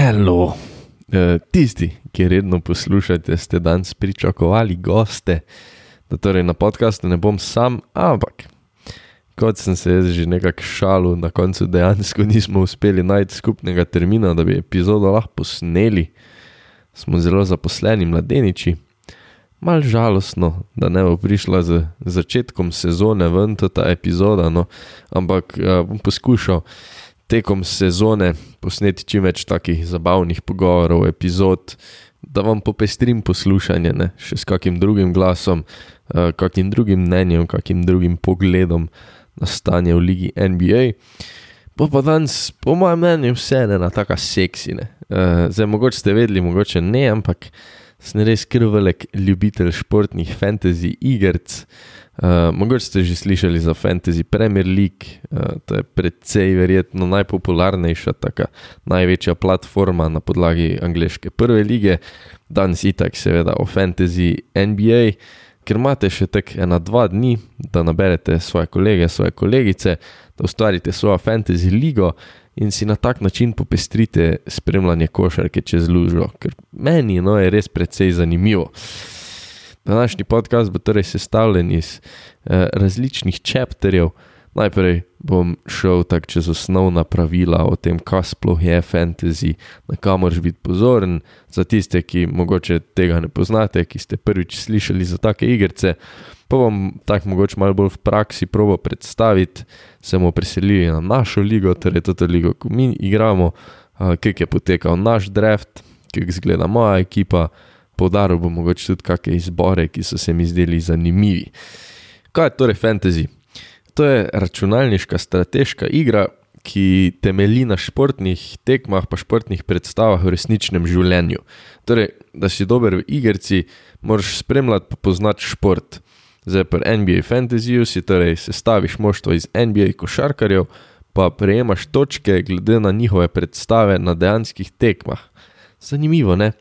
Hello. Tisti, ki redno poslušate, ste danes pričakovali goste, da torej na podcastu ne bom sam, ampak kot sem se jaz že nekako šalil, na koncu dejansko nismo uspeli najti skupnega termina, da bi epizodo lahko posneli. Smo zelo zaposleni mladeniči. Mal žalostno, da ne bo prišla z začetkom sezone ven ta epizoda, no, ampak bom poskušal tekom sezone posneti čim več takih zabavnih pogovorov, epizod, da vam popestrim poslušanje, ne, še s kakim drugim glasom, kakim drugim mnenjem, kakim drugim pogledom na stanje v ligi NBA. Pa danes, po mojem mnenju, vse ena taka seksi, ne. Zdaj, mogoče ste vedeli, mogoče ne, ampak sem res krvelik ljubitelj športnih fantasy igrc. Mogoče ste že slišali za Fantasy Premier League, to je precej verjetno najpopularnejša, taka največja platforma na podlagi angleške prve lige. Danes itak seveda o Fantasy NBA, ker imate še tak 1-2 dni, da naberete svoje kolege, svoje kolegice, da ustvarite svojo Fantasy ligo in si na tak način popestrite spremljanje košarke čez lužo, ker meni je res precej zanimivo. Današnji podcast bo torej sestavljen iz različnih chapterjev. Najprej bom šel tak čez osnovna pravila o tem, kaj sploh je fantasy, na kaj moraš biti pozoren, za tiste, ki mogoče tega ne poznate, ki ste prvič slišali za take igrce. Pa bom tak mogoče malo bolj v praksi probal predstaviti, se bomo preselili na našo ligo, torej toto ligo, ko mi igramo, kak je potekal naš draft, kak izgleda moja ekipa. Poudaril bom mogoče tudi kakšne izbore, ki so se mi zdeli zanimivi. Kaj je torej fantasy? To je računalniška strateška igra, ki temelji na športnih tekmah pa športnih predstavah v resničnem življenju. Torej, da si dober v igrci, moraš spremljati pa poznati šport. Zdaj pri NBA fantasyju si torej sestaviš moštvo iz NBA košarkarjev, pa prejemaš točke glede na njihove predstave na dejanskih tekmah. Zanimivo, ne?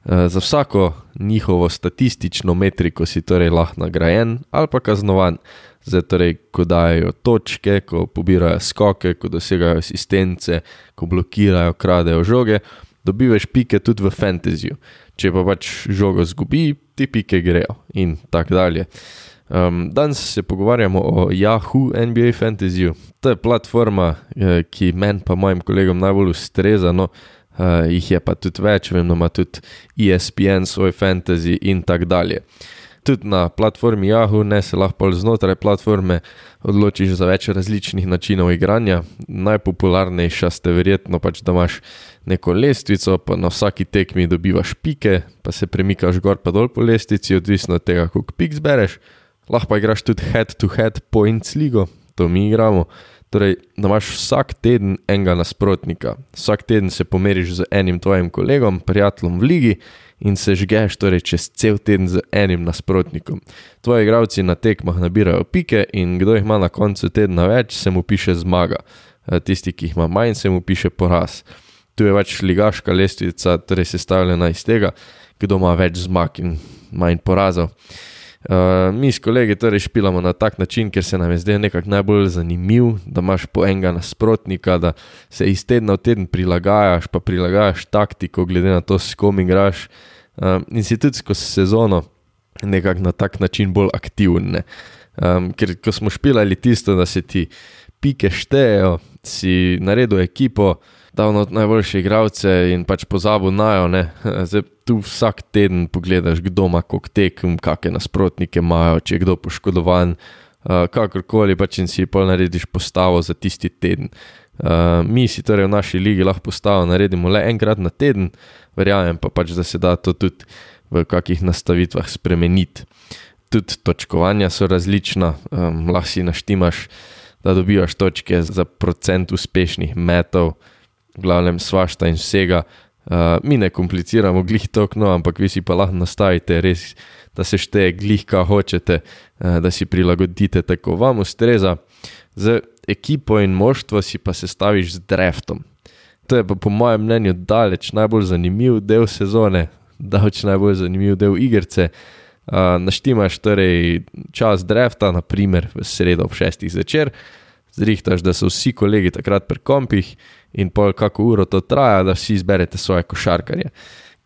Za vsako njihovo statistično metriko si torej lahko nagrajen ali pa kaznovan. Zdaj torej, ko dajo točke, ko pobirajo skoke, ko dosegajo asistence, ko blokirajo, kradejo žoge, dobivaš pike tudi v fantasyju. Če pa pač žogo zgubi, ti pike grejo in tak dalje. Danes se pogovarjamo o Yahoo NBA fantasyju. To je platforma, ki meni pa mojim kolegom najbolj ustreza, no, jih je pa tudi več, vem, ima tudi ESPN svoj fantasy in tak dalje. Tudi na platformi Yahoo ne se lahko znotraj platforme odločiš za več različnih načinov igranja. Najpopularnejša ste verjetno pač, da imaš neko lestvico, pa na vsaki tekmi dobivaš pike, pa se premikaš gor pa dol po lestvici, odvisno od tega, koliko pik zbereš. Lahko pa igraš tudi head-to-head points ligo, to mi igramo. Torej, da imaš vsak teden enega nasprotnika. Vsak teden se pomeriš z enim tvojim kolegom, prijateljem v ligi in se žgeš torej čez cel teden z enim nasprotnikom. Tvoji igralci na tekmah nabirajo pike in kdo jih ima na koncu tedna več, se mu piše zmaga. Tisti, ki jih ima manj, se mu piše poraz. Tu je pač ligaška lestvica, torej sestavljena iz tega, kdo ima več zmag in manj porazov. Mi s kolegi torej špilamo na tak način, ker se nam je zdaj nekako najbolj zanimiv, da imaš po enega nasprotnika, da se iz tedna v teden prilagajaš, pa prilagajaš taktiko glede na to, s kom igraš, in si tudi skozi sezono nekako na tak način bolj aktiven, ne. Ker ko smo špilali tisto, da se ti pike štejejo, si naredil ekipo, dal not najboljše igralce in pač pozabil najo, ne. Zdaj tu vsak teden pogledaš, kdo ima koliko tekem, kakšne nasprotnike imajo, če je kdo poškodovan, kakorkoli pač in si pol narediš postavo za tisti teden. Mi si torej v naši ligi lahko postavo naredimo le enkrat na teden, verjamem pa pač, da se da to tudi v kakih nastavitvah spremeniti. Tudi točkovanja so različna, lahko si naštimaš, da dobivaš točke za procent uspešnih metov, v glavnem svašta in vsega. Mi ne kompliciramo glih tok, no, ampak vi si pa lahko nastavite res, da se šteje glih, kaj hočete, da si prilagodite tako vam ustreza. Z ekipo in moštvo si pa sestaviš z draftom. To je pa po mojem mnenju daleč najbolj zanimiv del sezone, daleč najbolj zanimiv del igrce. Naštimaš torej čas drafta, na primer v sredo ob 6. zvečer, zrihtaš, da so vsi kolegi takrat pri kompih in pol kako uro to traja, da vsi izberete svoje košarkarje.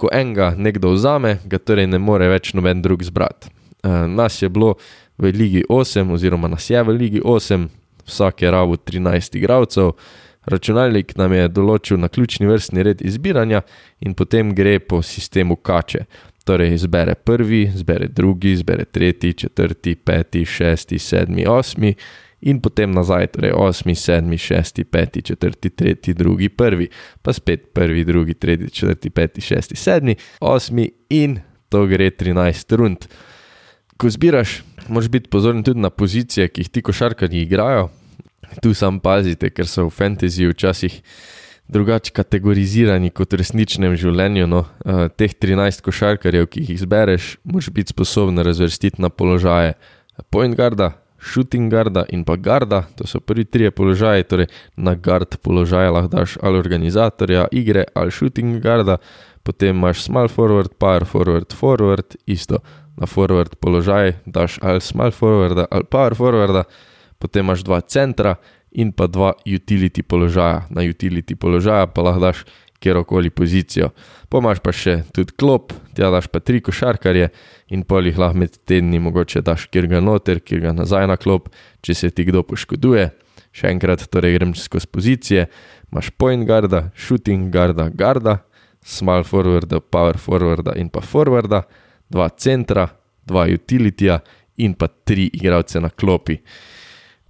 Ko enega nekdo vzame, ga torej ne more več noben drug zbrati. Nas je bilo v Ligi 8 oziroma nas je v Ligi 8, vsak je rabil 13 igralcev, računalnik nam je določil naključni vrstni red izbiranja in potem gre po sistemu kače. Torej izbere prvi, izbere drugi, izbere tretji, četrti, peti, šesti, sedmi, osmi in potem nazaj, torej osmi, sedmi, šesti, peti, četrti, tretji, drugi, prvi, pa spet prvi, drugi, tretji, četrti, peti, šesti, sedmi, osmi in to gre 13 rund. Ko zbiraš, moraš biti pozoren tudi na pozicije, ki jih ti košarkarji igrajo. Tu sam pazite, ker so v fantasy včasih drugače kategorizirani kot v resničnem življenju. No. Teh 13 košarkarjev, ki jih izbereš, moraš biti sposoben razvrstiti na položaje point guarda, shooting guarda in pa guarda. To so prvi 3 položaji, torej na guard položaje lahko daš ali organizatorja igre ali shooting guarda, potem imaš small forward, power forward, forward, isto. Na forward položaj daš ali small forwarda ali power forwarda, potem imaš 2 centra in pa 2 utility položaja. Na utility položaja pa lahko daš kjerokoli pozicijo. Pomaš pa še tudi klop, tja daš pa 3 košarkarje in pol jih lahko med tedni mogoče daš kjer ga noter, kjer ga nazaj na klop, če se ti kdo poškoduje. Še enkrat, torej grem skozi pozicije, imaš point guarda, shooting guarda, guarda, small forwarda, power forwarda in pa forwarda, 2 centra, 2 utilityja in pa 3 igralce na klopi.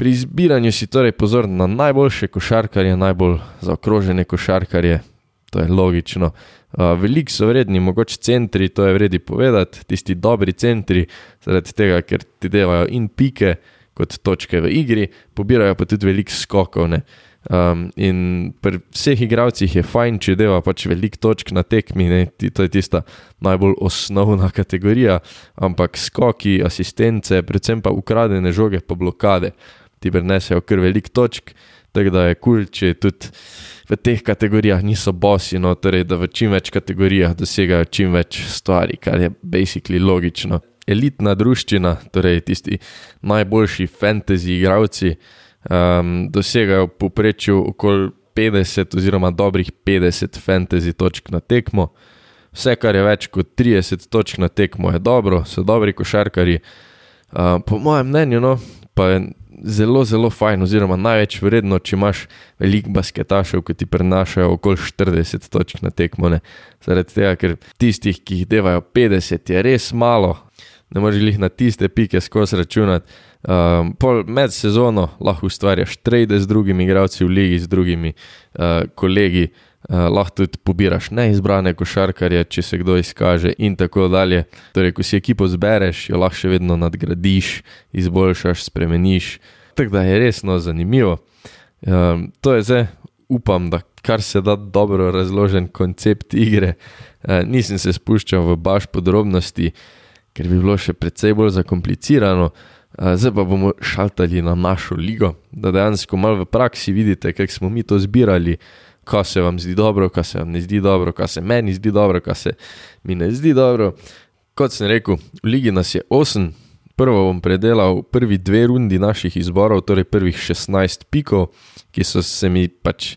Pri izbiranju si torej pozorn na najboljše košarkarje, najbolj zaokrožene košarkarje, to je logično. Veliko so vredni, mogoče centri, to je vredi povedati, tisti dobri centri, zaradi tega, ker ti devajo in pike kot točke v igri, pobirajo pa tudi veliko skokov. Ne? In pri vseh igralcih je fajn, če deva pač veliko točk na tekmi, ne? To je tista najbolj osnovna kategorija, ampak skoki, asistence, predvsem pa ukradene žoge pa blokade. Ti prinesejo kar veliko točk, tako da je cool, če tudi v teh kategorijah niso bossi, no, torej da v čim več kategorijah dosegajo čim več stvari, kar je basically logično. Elitna druščina, torej tisti najboljši fantasy igralci, dosegajo v povprečju okoli 50 oziroma dobrih 50 fantasy točk na tekmo. Vse, kar je več kot 30 točk na tekmo je dobro, so dobri košarkarji. Po mojem mnenju, no, pa je zelo, zelo fajn oziroma največ vredno, če imaš veliko basketašev, ki ti prenašajo okoli 40 točk na tekmo. Ne? Zaradi tega, ker tistih, ki jih devajo 50, je res malo. Ne moreš jih na tiste pike skozi računati. Med sezono lahko ustvarjaš trade z drugimi igralci v ligi, z drugimi kolegi. Lahko tudi pobiraš neizbrane košarkarje, če se kdo izkaže in tako dalje. Torej, ko si ekipo zbereš, jo lahko še vedno nadgradiš, izboljšaš, spremeniš. Tako da je resno zanimivo. To je zdaj, upam, da kar se da dobro razložen koncept igre. Nisem se spuščal v baš podrobnosti, ker bi bilo še precej bolj zakomplicirano. Zdaj pa bomo šaltali na našo ligo, da dejansko malo v praksi vidite, kako smo mi to zbirali, kaj se vam zdi dobro, kaj se vam ne zdi dobro, kaj se meni zdi dobro, kaj se mi ne zdi dobro. Kot sem rekel, v ligi nas je 8. Prvo bom predelal prvi 2 rundi naših izborov, torej prvih 16 pikov, ki so se mi pač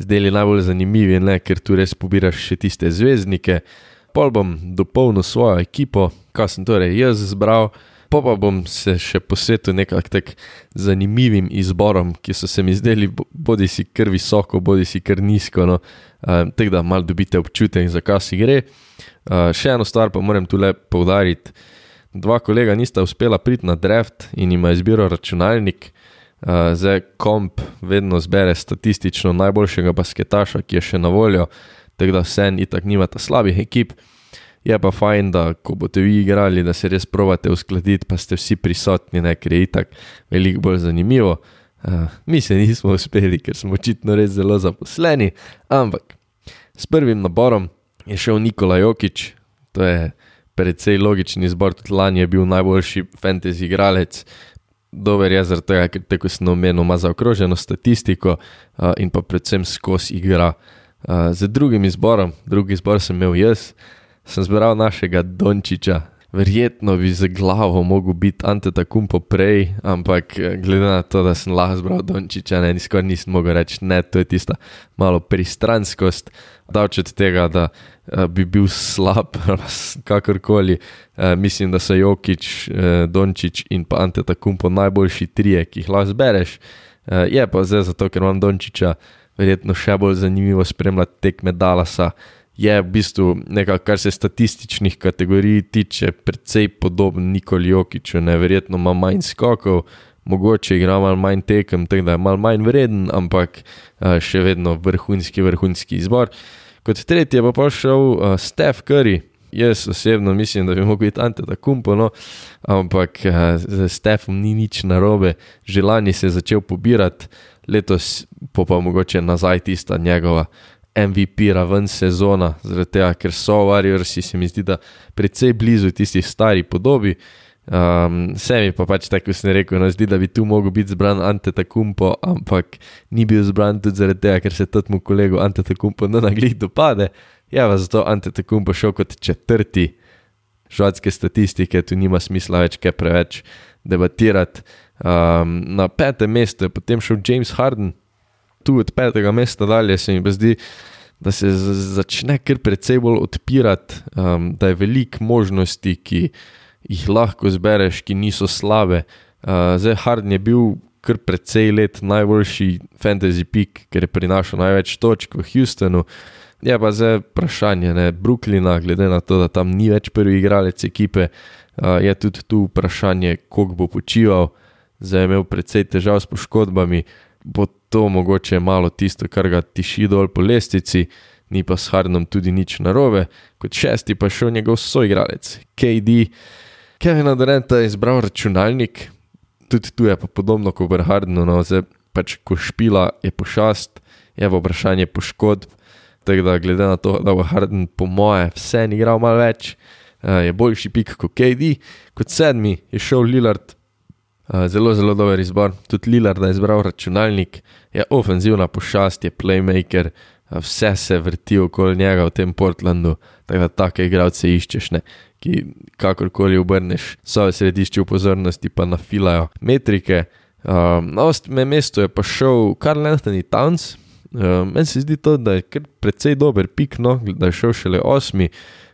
zdeli najbolj zanimivi, ne? Ker tu res pobiraš še tiste zvezdnike. Pol bom dopolnil svojo ekipo, kaj sem torej jaz zbral, pa bom se še posvetil nekak tak zanimivim izborom, ki so se mi zdeli bodi si kar visoko, bodi si kar nizko, no. Tako da malo dobite občutek, za kaj si gre. Še eno stvar pa moram tule poudariti. 2 kolega nista uspela priti na draft in ima izbiro računalnik. Zdaj komp vedno zbere statistično najboljšega basketaša, ki je še na voljo, tako da vsem itak nimata slabih ekip. Je pa fajn, da ko boste vi igrali, da se res probate uskladiti, pa ste vsi prisotni, ne, ker je itak veliko bolj zanimivo. Mi se nismo uspeli, ker smo očitno res zelo zaposleni, ampak s prvim naborom je šel Nikola Jokić, to je precej logični izbor, tudi lani je bil najboljši fantasy igralec, dober je zaradi tega, ker tako sem omenil, ima zaokroženo statistiko in pa predvsem skozi igra. Z drugim izborom, drugi izbor sem imel jaz, sem zbral našega Dončića. verjetno bi z glavo mogel biti Antetokounmpo prej, ampak glede na to, da sem lahko zbral Dončića, skoraj nisem mogel reči, ne, to je tista malo pristranskost, davč od tega, da bi bil slab, kakorkoli, mislim, da so Jokić, Dončić in pa Antetokounmpo najboljši trije, ki jih lahko zbereš, je pa zdaj zato, ker imam Dončića, verjetno še bolj zanimivo spremljati tekme Dallasa, je v bistvu nekako, kar se statističnih kategorij tiče, precej podoben Nikoli Jokiću, verjetno ima manj skokov, mogoče igra malo manj tekem, tako da je malo manj vreden, ampak še vedno vrhunski izbor. Kot tretji je pa šel Steph Curry. Jaz osebno mislim, da bi mogel biti Antetokounmpo, ampak z Stephom ni nič narobe, že lani se je začel pobirati, letos pa mogoče nazaj tista njegova MVP raven sezona, zaradi tega, ker so Warriorsi, se mi zdi, da precej blizu tisti stari podobi. Se mi pa pač tako sem rekel, zdi, da bi tu mogel biti zbran Antetokounmpo, ampak ni bil zbran tudi zaradi tega, ker se totmu kolegu Antetokounmpo naglih dopade. Je pa zato Antetokounmpo šel kot četrti. Švedske statistike, tu nima smisla več kaj preveč debatirati. Na 5. mestu je potem šel James Harden. Tu od 5. mesta dalje se mi zdi, da se začne kar precej bolj odpirati, da je veliko možnosti, ki jih lahko zbereš, ki niso slabe. Zdaj Harden je bil kar precej let najboljši fantasy pick, ker je prinašal največ točk v Houstonu. Je pa zdaj vprašanje, Brooklyna, glede na to, da tam ni več prvi igralec ekipe, je tudi tu vprašanje, koliko bo počival. Zdaj je imel precej težav s poškodbami, bo to mogoče malo tisto, kar ga tiši dol po lestvici, ni pa s Hardenom tudi nič narobe. Kot 6. pa šel njegov soigralec, KD. Kevina Duranta je izbral računalnik, tudi tu je pa podobno kot pri Hardenu, zdaj pač ko špila je pošast, je pa vprašanje poškodb, tako da glede na to, da bo Harden po moje vse igral malo več, je boljši pik kot KD. Kot 7. je šel Lillard. Zelo dober izbor, tudi Lillarda je izbral računalnik, je ofenzivna pošast, je playmaker, vse se vrti okoli njega v tem Portlandu, tako da take igralce iščeš, ki kakorkoli obrneš, so v središču pozornosti pa nafilajo metrike. Na 8. mestu je pa šel Karl Anthony Towns. Meni se zdi to, da je kar precej dober pik, da je šel šele 8.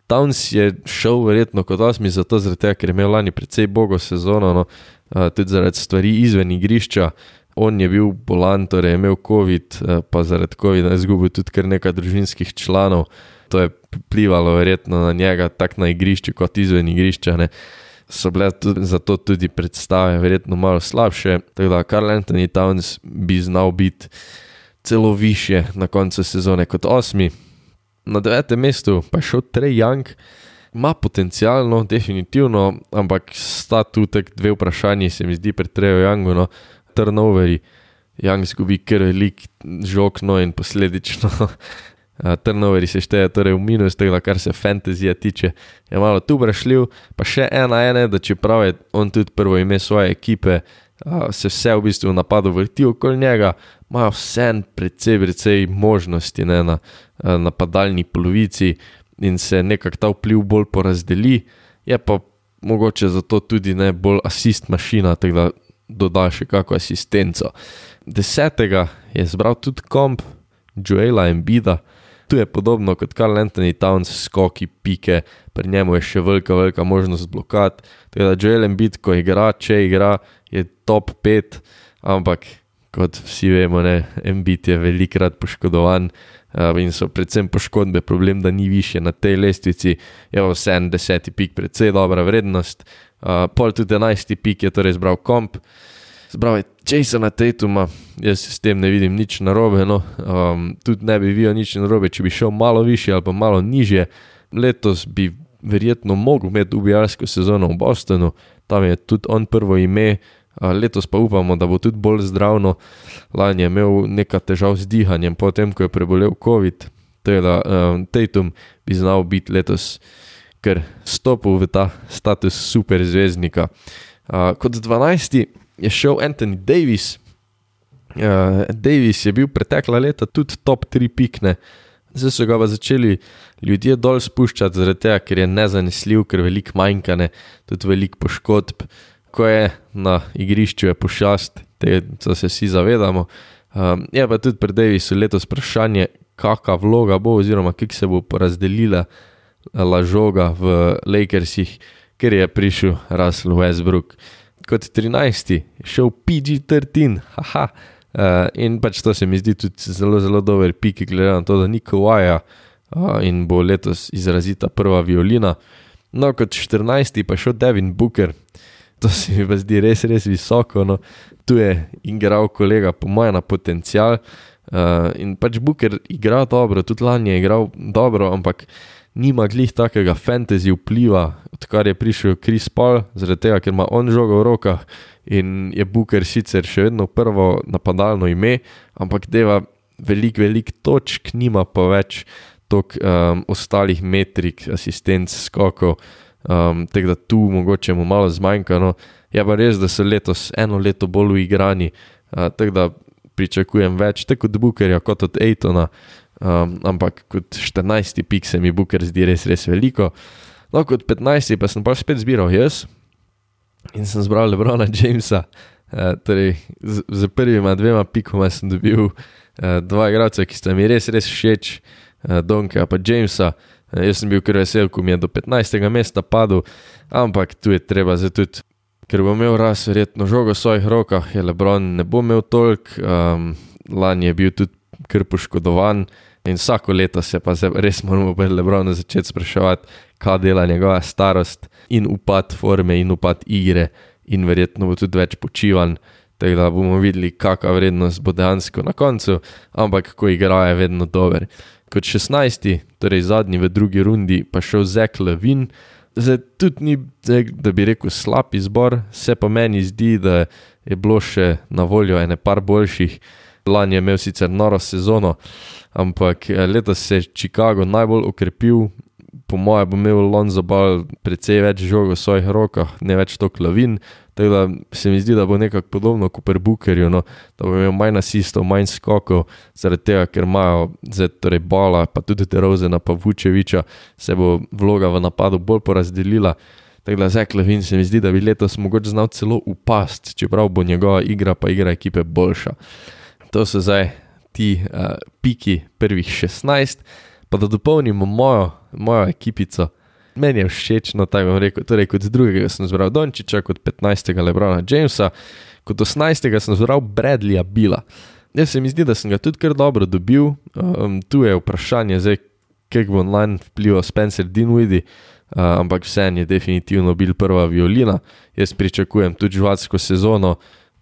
Towns je šel verjetno kot 8. zato zaradi tega, ker je imel lani precej bogo sezono, tudi zaradi stvari izven igrišča. On je bil bolan, torej je imel COVID, pa zaradi COVID je izgubil tudi kar nekaj družinskih članov. To je vplivalo verjetno na njega tako na igrišču kot izven igrišča. So bile zato tudi predstave verjetno malo slabše, tako da Karl Anthony Towns bi znal biti celo višje na koncu sezone kot 8. Na 9. mestu pa je šel Trae Young. Ima potencialno, definitivno, ampak sta tu tak dve vprašanji, se mi zdi pri Traeju Youngu, turnoveri. Young zgubi kar velik žog, in posledično turnoveri se šteje torej v minus, tako da kar se fantasyja tiče, je malo tu vprašljiv. Pa še ena, da čeprav je on tudi prvo ime svoje ekipe, se vse v bistvu v napadu vrti okoli njega, imajo vse precej možnosti na napadalni polovici in se nekako ta vpliv bolj porazdeli, je pa mogoče zato tudi bolj asist mašina, tako da doda še kako asistenco. 10. je zbral tudi komp Joela Embida. Tu je podobno kot Karl Anthony Towns, skoki, pike, pri njemu je še velika možnost blokad, tako da Joel Embiid, ko igra, če igra, je top 5, ampak kot vsi vemo, Embiid je velikrat poškodovan in so predvsem poškodbe problem, da ni više na tej lestvici. Je pa vse 10. pik precej dobra vrednost. Pol tudi 11. pik je torej zbral komp. Zbral je Jasona Tatuma, jaz s tem ne vidim nič narobe, tudi ne bi videl nič narobe, če bi šel malo više ali pa malo nižje. Letos bi verjetno mogel imeti ubijalsko sezono v Bostonu, tam je tudi on prvo ime, letos pa upamo, da bo tudi bolj zdravno. Lani je imel nekaj težav z dihanjem, potem ko je prebolel COVID, teda Tatum bi znal biti letos, ker stopil v ta status super zvezdnika. Kot 12. je šel Anthony Davis. Davis je bil pretekla leta tudi top 3 pikne. Zdaj so ga pa začeli ljudje dol spuščati zaradi tega, ker je nezanesljiv, ker veliko manjka, ne, tudi veliko poškodb. Ko je na igrišču je pošast, to se vsi zavedamo. Je pa tudi pri Davisu letos vprašanje, kakva vloga bo oziroma kako se bo porazdelila žoga v Lakersih, ker je prišel Russell Westbrook. Kot 13. šel PG-13, haha. In pač to se mi zdi tudi zelo, zelo dober pik, glede na to, da ni Kawhija in bo letos izrazita prva violina. No, kot 14. pa šel Devin Booker. To se mi pa zdi res, res visoko. No. Tu je igral kolega po moje na potencial in pač Booker igra dobro, tudi lani je igral dobro, ampak nima glih takega fantasy vpliva, odkar je prišel Chris Paul, zaradi tega, ker ima on žogo v rokah in je Booker sicer še vedno prvo napadalno ime, ampak deva veliko točk, nima pa več toliko ostalih metrik, asistenc, skokov, tako da tu mogoče mu malo zmanjka. No. Je pa res, da so letos eno leto bolj uigrani, tako da pričakujem več, tako od Bookerja kot od Aytona, ampak kot 14. pik se mi Booker zdi res veliko. No, kot 15. pa sem pa spet zbiral jaz in sem zbral LeBrona Jamesa, torej z prvima 2 pikoma sem dobil 2 igralca, ki sta mi res všeč, Donka pa Jamesa. Jaz sem bil kar vesel, ko mi je do 15. mesta padel, ampak tu je treba zdaj tudi, ker bo imel raz verjetno žogo v svojih rokah, je LeBron ne bo imel toliko, lani je bil tudi kar poškodovan in vsako leto se pa res moramo pri LeBronu začeti spraševati, kaj dela njegova starost in upad forme in upad igre in verjetno bo tudi več počivan, tako da bomo videli, kakva vrednost bo dejansko na koncu, ampak ko igra je vedno dober. Kot 16. torej zadnji v drugi rundi pa šel Zach LaVine. Zdaj tudi ni, da bi rekel, slab izbor, se pa meni zdi, da je bilo še na voljo ene par boljših. Lani je imel sicer noro sezono, ampak letos se je Chicago najbolj okrepil. Po moje bo imel Lonzo Ball precej več žog v svojih rokah, ne več toliko LaVine, tako da se mi zdi, da bo nekako podobno kot pri Bookerju, no, da bo imel manj asistov, manj skokov, zaradi tega, ker imajo zdaj torej Balla, pa tudi DeRozana pa Vučeviča, se bo vloga v napadu bolj porazdelila. Tako da Zach LaVine se mi zdi, da bi letos mogoče znal celo upast, čeprav bo njegova igra pa igra ekipe boljša. To so zdaj ti piki prvih 16, pa da dopolnimo mojo ekipico. Meni je všečno, tako bom rekel, torej kot drugega sem zbral Dončića, kot 15. LeBrona Jamesa, kot 18. sem zbral Bradleyja Beala. Jaz se mi zdi, da sem ga tudi kar dobro dobil, tu je vprašanje zdaj, kako bo online vplival Spencer Dinwiddie, ampak vseeno je definitivno bil prva violina, jaz pričakujem tudi živadsko sezono.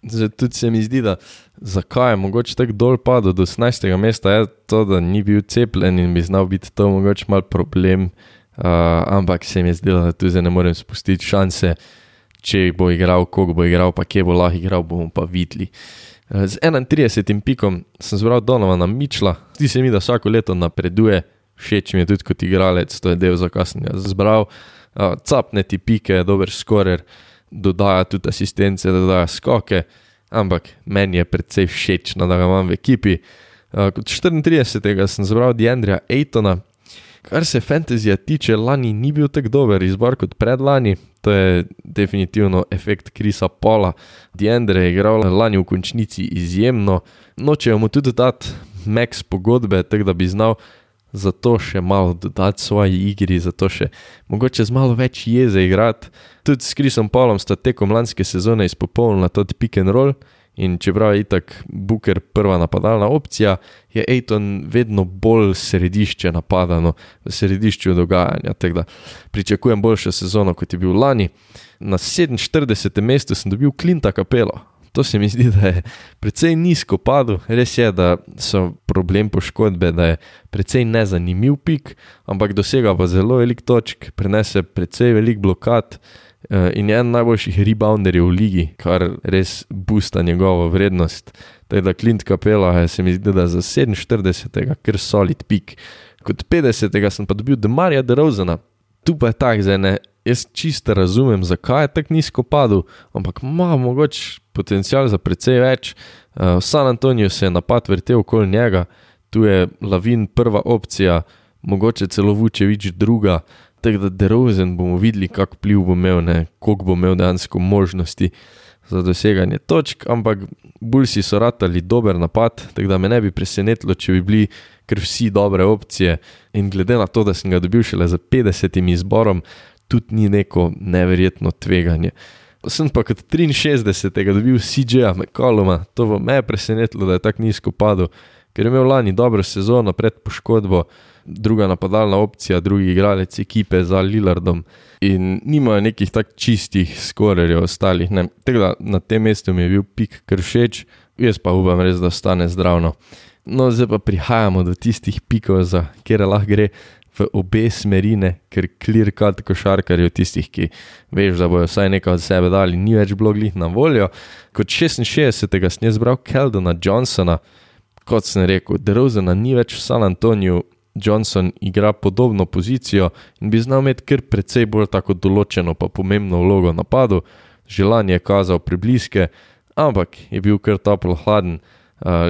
Zdaj tudi se mi zdi, da zakaj je mogoče tako dol padel do 18. mesta, je to, da ni bil cepljen in bi znal biti to mogoče mal problem, ampak se mi je zdelo, da tu zdaj ne morem spustiti šanse, če bo igral, koliko bo igral, pa kje bo lahko igral, bomo pa videli. Z 31. pikom sem zbral Donovana Mitchella, zdi se mi, da vsako leto napreduje, všeč mi je tudi kot igralec, to je del, zakaj sem ga zbral, capne ti pike, dober skorer, dodaja tudi asistence, dodaja skoke, ampak meni je predvsej všečno, da ga imam v ekipi. Kot 34. sem zbral DeAndrea Aytona. Kar se fantasyja tiče, lani ni bil tak dober izbor kot predlani, to je definitivno efekt Chrisa Paula. DeAndre je igral lani v končnici izjemno, nočejo mu tudi dati max pogodbe, tako da bi znal zato še malo dodati svoji igri, zato še mogoče z malo več jeze igrati. Tudi s Chrisom Paulom sta tekom lanske sezone izpopolnila tudi pick and roll in čeprav je itak Booker prva napadalna opcija, je Ayton vedno bolj središče napadano, v središču dogajanja, tako da pričakujem boljšo sezono, kot je bil lani. Na 47. mestu sem dobil Clinta Capello. To se mi zdi, da je precej nizko padel, res je, da so problem poškodbe, da je precej nezanimiv pik, ampak dosega pa zelo velik točk, prenese precej velik blokad in je en najboljših rebounderjev v ligi, kar res boosta njegovo vrednost. Tako da Clint Capela se mi zdi, da za 47. kar solid pik. Kot 50. sem pa dobil DeMarja DeRozana. Tu pa je tak, zdaj ne, jaz čisto razumem, zakaj je tak nizko padel, ampak ima mogoče potencial za precej več. V San Antoniju se je napad vrtel okoli njega, tu je Lavin prva opcija, mogoče celo Vučević druga, tako da DeRozan bomo videli, kak vpliv bo imel, koliko bo imel dejansko možnosti za doseganje točk, ampak Bullsi so ratali dober napad, tako da me ne bi presenetilo, če bi bili kar vsi dobre opcije in glede na to, da sem ga dobil šele za 50 izborom, tudi ni neko neverjetno tveganje. Sem pa kot 63. dobil CJ-a McColluma, to me je presenetilo, da je tako nizko padel, ker je imel lani dobro sezono pred poškodbo, druga napadalna opcija, drugi igralec ekipe za Lillardom in nimajo nekih tak čistih skorerjev ostalih. Tako da na tem mestu mi je bil pik kar všeč, jaz pa upam res, da ostane zdravno. No, zdaj pa prihajamo do tistih pikov, za kjer lahko gre v obe smerine, ker clear cut košarkarjev tistih, ki veš, da bojo vsaj nekaj od sebe dali, ni več bilo glih na voljo. Kot 66. sem jaz zbral Keldona Johnsona, kot sem rekel, DeRozana ni več v San Antoniju, Johnson igra podobno pozicijo in bi znal imeti kar precej bolj tako določeno pa pomembno vlogo v napadu, želanje je kazal prebliske, ampak je bil kar toplo hladen,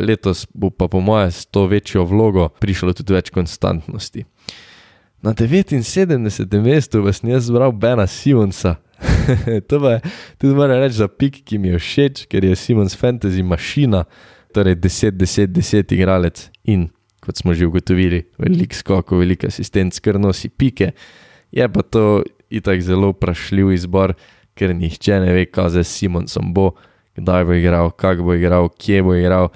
letos bo pa po moje s to večjo vlogo prišlo tudi več konstantnosti. Na 79. mestu sem jaz zbral Bena Simonsa. To pa je tudi moram reči za pik, ki mi je všeč, ker je Simons fantasy mašina, torej 10-10-10 igralec in kot smo že ugotovili, velik skok, velik asistent, kar nosi pike. Je pa to itak zelo vprašljiv izbor, ker nihče ne ve, kaj z Simonsom bo, kdaj bo igral, kak bo igral, kje bo igral.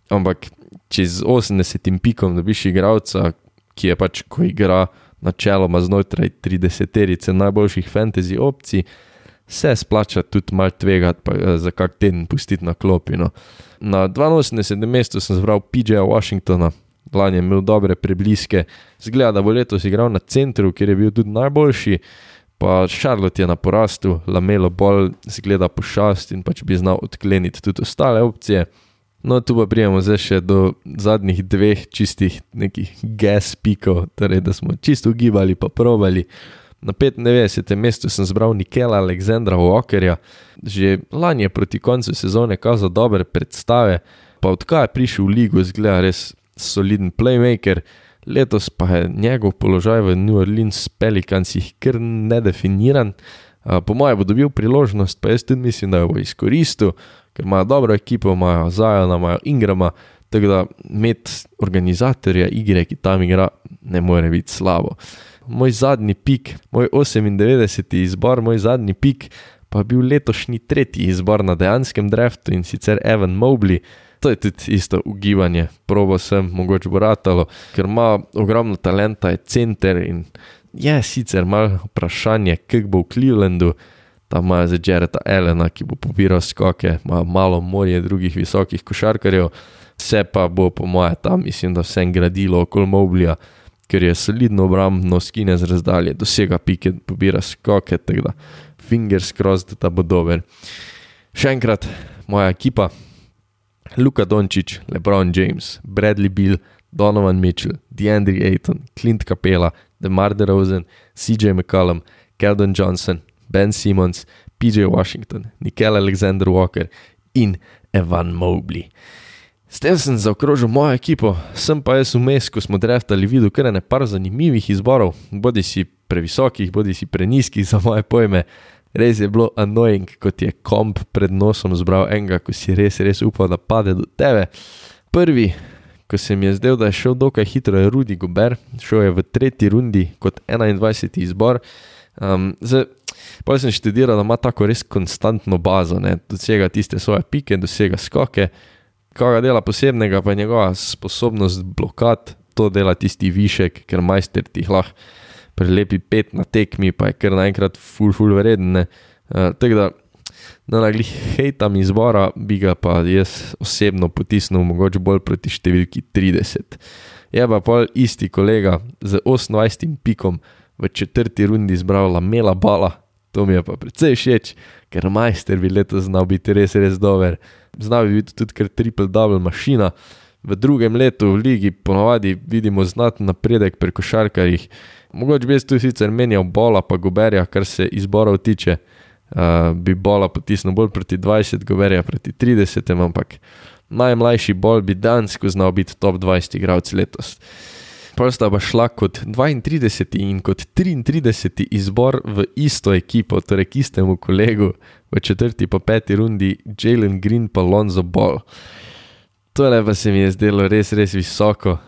Ampak če z 80 pikom dobiš igralca, ki je pač, ko igra načeloma znotraj 30-terice najboljših fantasy opcij, se splača tudi malo tvegati, pa za kak teden pustiti na klopi. No. Na 82. mestu sem zbral PJ Washingtona, lani je imel dobre prebliske, zgleda, da bo letos igral na centru, kjer je bil tudi najboljši, pa Charlotte je na porastu, LaMelo Ball zgleda pošast in pač bi znal odkleniti tudi ostale opcije. No, tu pa prijemo zdaj še do zadnjih dveh čistih nekih gas pikov, torej da smo čisto ugibali pa probali. Na 95. mestu sem zbral Nickeila Alexandra Walkerja, že lani je proti koncu sezone kazal dobre predstave, pa odkaj je prišel v ligo, zgleda res soliden playmaker, letos pa je njegov položaj v New Orleans Pelicansih kar nedefiniran. Po moje bo dobil priložnost, pa jaz tudi mislim, da jo bo izkoristil, ker imajo dobro ekipo, imajo Ziona, imajo Ingrama, tako da imeti organizatorja igre, ki tam igra, ne more biti slabo. Moj zadnji pik, moj 98. izbor, moj zadnji pik, pa je bil letošnji tretji izbor na dejanskem draftu in sicer Evan Mobley. To je tudi isto ugibanje, probo sem, mogoče bo ratalo, ker ima ogromno talenta, je center in je sicer malo vprašanje, kak bo v Clevelandu, tam imajo za Jarretta Allena, ki bo pobiral skoke, imajo malo morje drugih visokih košarkarjev, vse pa bo po moje tam, mislim, da vsem gradilo okoli Mobleya, ker je solidno obrambno, skine z razdalje, dosega pike, pobira skoke, tako da fingers crossed, da bo dober. Še enkrat, moja ekipa: Luka Dončić, LeBron James, Bradley Beal, Donovan Mitchell, DeAndre Ayton, Clint Capela, DeMar DeRozan, CJ McCollum, Keldon Johnson, Ben Simmons, PJ Washington, Nickeil Alexander-Walker in Evan Mobley. S tem sem zaokrožil mojo ekipo, sem pa jaz vmes, ko smo draftali, videl kar par zanimivih izborov, bodi si previsokih, bodi si prenizkih za moje pojme. Res je bilo annoying, kot je komp pred nosom zbral enega, ko si res upal, da pade do tebe. Prvi, ko se mi je zdel, da je šel dokaj hitro, je Rudy Gobert, šel je v 3. rundi kot 21. izbor. Pa sem študiral, da ima tako res konstantno bazo, dosega tiste svoje pike, dosega skoke. Kaj ga dela posebnega, pa je njegova sposobnost blokad, to dela tisti višek, ker majster ti lahko prelepi 5 na tekmi, pa je kar naenkrat ful vreden. Tako da, naglih hejtam izbora, bi ga pa jaz osebno potisnil mogoče bolj proti številki 30. Je pa pol isti kolega z 28 pikom v 4. rundi izbral LaMela Balla, to mi je pa precej všeč, ker majster bi letos znal biti res dober. Znal bi biti tudi kar triple-double mašina. V drugem letu v ligi ponavadi vidimo znaten napredek pri košarkarjih. Mogoče bi jaz tu sicer menjal Balla pa Goberja, kar se izborov tiče, bi Balla potisnil bolj proti 20, Goberja proti 30, ampak najmlajši Ball bi dansko znal biti top 20 igralec letos. Pol sta pa šla kot 32. in kot 33. izbor v isto ekipo, torej k istemu kolegu v 4. pa 5. rundi Jalen Green pa Lonzo Ball. Tole pa se mi je zdelo res visoko,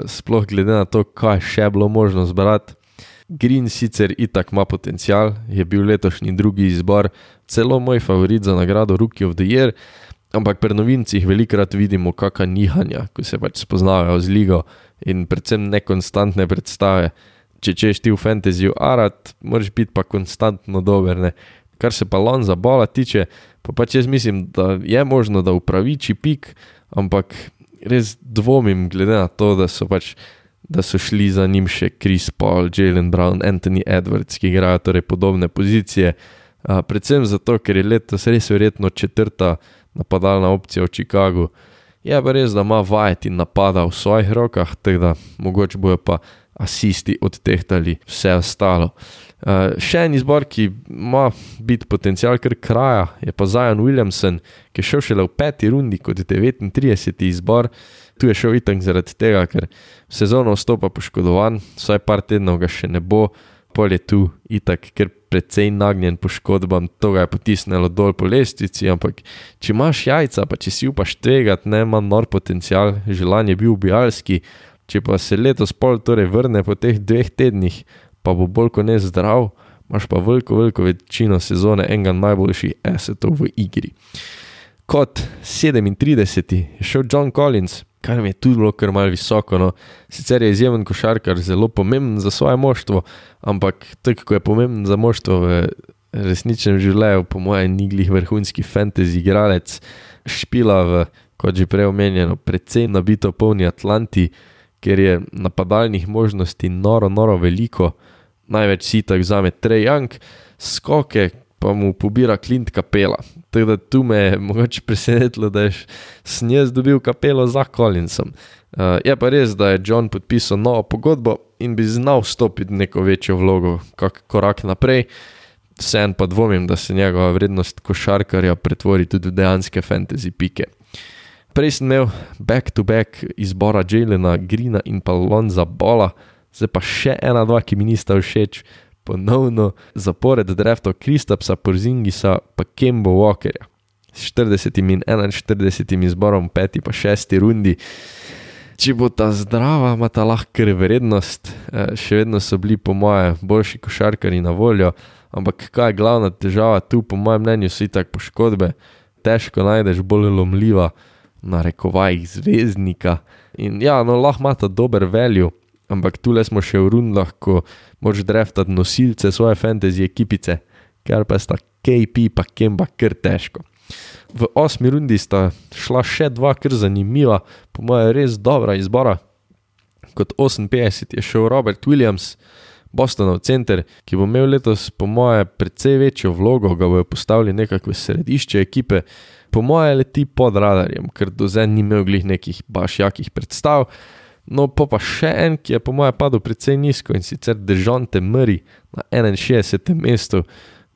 sploh glede na to, kaj še bilo možno zbrati. Green sicer itak ima potencial, je bil letošnji drugi izbor, celo moj favorit za nagrado Rookie of the Year, ampak pri novincih velikrat vidimo kakšna nihanja, ko se pač spoznavajo z ligo in predvsem nekonstantne predstave. Če češ ti v fantasyju arat, moraš biti pa konstantno dober, ne. Kar se pa Lonza Balla tiče, pa pač jaz mislim, da je možno, da upraviči pik, ampak res dvomim glede na to, da so šli za njim še Chris Paul, Jaylen Brown, Anthony Edwards, ki igrajo torej podobne pozicije, predvsem zato, ker je letos res verjetno 4. napadalna opcija v Chicagu. Je pa res, da ima vajeti napada v svojih rokah, tako da mogoče bojo pa asisti odtehtali vse ostalo. Še en izbor, ki ima biti potencial kar kraja, je pa Zion Williamson, ki je šel šele v 5. rundi kot 39. izbor. Tu je šel itak zaradi tega, ker sezono vstopa poškodovan, vsaj par tednov ga še ne bo, pol je tu itak ker precej nagnjen poškodbam, to ga je potisnilo dol po lestvici, ampak če imaš jajca, pa če si upaš tvegati, ne, ima nor potencial, želan je bil ubijalski, če pa se letos pol torej vrne po teh 2 tednih, pa bo bolj kot ne zdrav, imaš pa veliko večino sezone enega najboljših assetov v igri. Kot 37. je šel John Collins, kar mi je tudi bilo kar malo visoko, no. Sicer je izjemen košarkar, zelo pomemben za svoje moštvo, ampak tako, ko je pomemben za moštvo v resničnem življenju, po mojem ni glih vrhunski fantasy igralec, špila v, kot že prej omenjeno, precej nabito polni Atlanti, ker je napadalnih možnosti noro veliko, največ si tak vzame Trae Young, skoke pa mu pobira Clint Capela. Tako da tu me je mogoče presenetilo, da je snjez dobil Capelo za Collinsom. Je pa res, da je John podpisal novo pogodbo in bi znal vstopiti neko večjo vlogo, kak korak naprej. Vseeno pa dvomim, da se njegova vrednost košarkarja pretvori tudi v dejanske fantasy pike. Prej sem imel back-to-back izbora Jaylena Greena in pa Lonza Balla, zdaj pa še 1-2, ki mi nista všeč, ponovno zapored draftov Kristapsa Porzingisa pa Kemba Walkerja. S 40. in 41. izborom 5. pa 6. rundi. Če bo ta zdrava, ima ta lahko kar vrednost, še vedno so bili po moje boljši košarkari na voljo, ampak kaj je glavna težava tu, po mojem mnenju so itak poškodbe, težko najdeš bolj lomljiva na rekovajih zvezdnika in ja, no lahko ima ta dober value, ampak tule smo še v rundah, ko moraš draftati nosilce svoje fantasy ekipice, ker pa sta KP pa Kemba kar težko. V 8. rundi sta šla še 2 kar zanimiva, po moje res dobra izbora. Kot 58 je šel Robert Williams, Bostonov center, ki bo imel letos po moje precej večjo vlogo, ga bojo postavili nekako v središče ekipe. Po moje leti pod radarjem, ker do zdaj ni imel glih nekih baš jakih predstav. No pa še en, ki je po moje padel precej nizko in sicer Dejounte Murray na 61. mestu.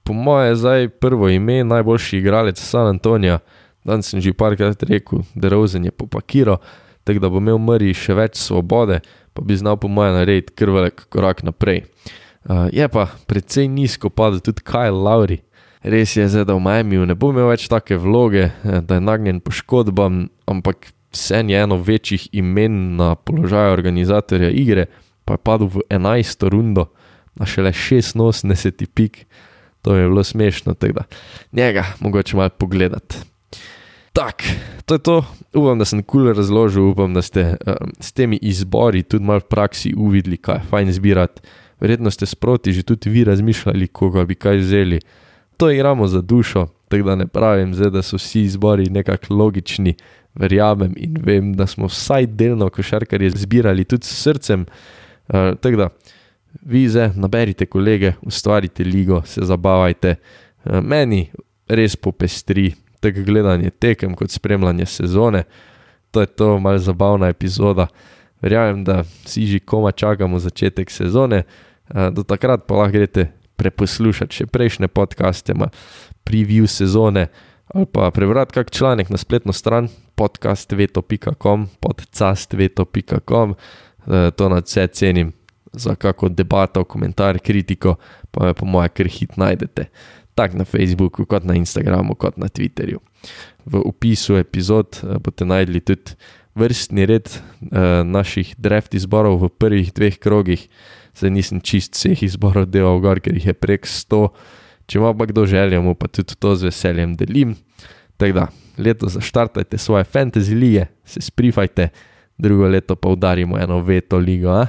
Po moje zdaj prvo ime, najboljši igralec San Antonija. Danes sem že parkrat rekel, DeRozan je popakiral, tako da bo imel Murray še več svobode, pa bi znal po moje narediti kar velik korak naprej. Je pa precej nizko padel tudi Kyle Lowry. Res je zdaj, da v Miamiju ne bo imel več take vloge, da je nagnjen poškodbam, ampak vsem je eno večjih imen na položaju organizatorja igre, pa je padel v 11. rundo na šele 86. pik. To mi je bilo smešno, tako da njega mogoče malo pogledati. Tak, to je to. Upam, da sem cool razložil, upam, da ste s temi izbori tudi malo v praksi uvideli, kaj je fajn zbirati. Verjetno ste sproti že tudi vi razmišljali, koga bi kaj vzeli. To igramo za dušo, tako da ne pravim zdaj, da so vsi izbori nekako logični, verjamem in vem, da smo vsaj delno košarkarje zbirali tudi s srcem, tako da vi zdaj naberite kolege, ustvarite ligo, se zabavajte. Meni res popestri tako gledanje tekem kot spremljanje sezone. To je to malo zabavna epizoda. Verjamem, da vsi že komaj čakamo začetek sezone. Do takrat pa lahko greste preposlušati še prejšnje podcaste, preview sezone ali pa prebrati kak članek na spletno stran podcastveto.com, podcastveto.com. To nadvse cenim za kako debato, komentar, kritiko, pa me po moje kar hit najdete. Tak na Facebooku, kot na Instagramu, kot na Twitterju. V opisu epizod boste najdli tudi vrstni red naših draft izborov v prvih 2 krogih. Zdaj nisem čist vseh izborov delal gor, ker jih je prek 100. Če ima pa kdo željo, mu pa tudi to z veseljem delim. Tako da, leto zaštartajte svoje fantasy lige, se sprifajte, drugo leto pa udarimo eno veto ligo,